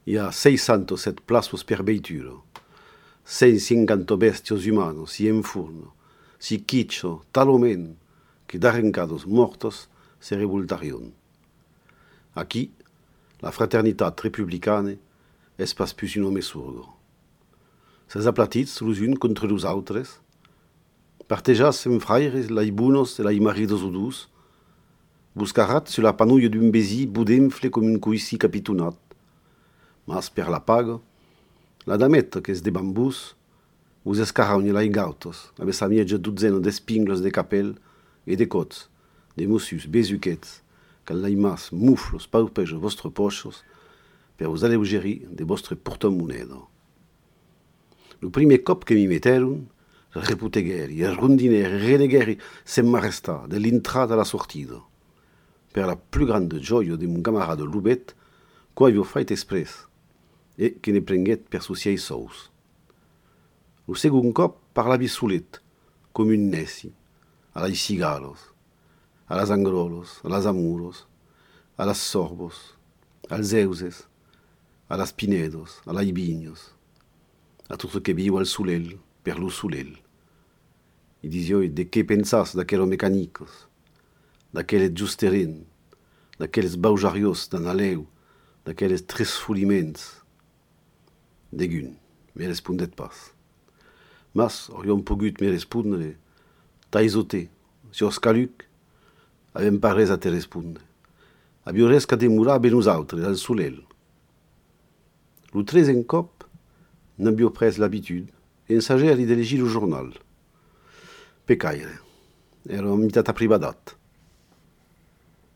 Hi ha 607 plaços per veitura, 150 bestios humanos si en furno, si quicho, talomen, que d'arrencados mortos se revoltarion. Aquí, la fraternitat republicana és pas plus un home surdo. Ses aplatits los un contra los autres, partejas en fraires lai bunos e lai maridos udus, buscarat sur la panouille d'un besi budemfle com un coici capitonat. Mas per la paga, la dametta que es de bambús, us escarraune lai gautos, aves a miege dutzeno d'espinglos de capel e de cots, de mussus besuquets, cal lai mas muflos paupejo vostre pochos, per vos aleugerir de vostre portamonedo. Lo primer cop que mi metteron, reputegheri, rondineri, renegheri s'emmarresta de l'intrada a la sortida. Per la plus grande gioia de mon camarade Lubet, qua avio fait express, e che ne prenguet per suciei sous. Lo segon cop parlavi solet, com un neci, a las cigalos, a las angrolos, a las amuros, a las sorbos, als euses, a las pinedos, a las vignos, a tot que viu al sulel, per lo sulel. I disio de què pensas d'aquellos mecanicos, d'aquelles justerin, d'aquelles baujarios d'an aleu, d'aquelles tresfoliments. Degun, me respondet pas. Mas auriam pogut me respondre, taizote, si os caluc, avem pas res a te respondre. Abio res ca demorar ben nosaltres, al sulel. Lo tresen cop, n'abio pres l'habitude, e ensageri de legir lo jornal. Pecaire, era mitat aprivadat.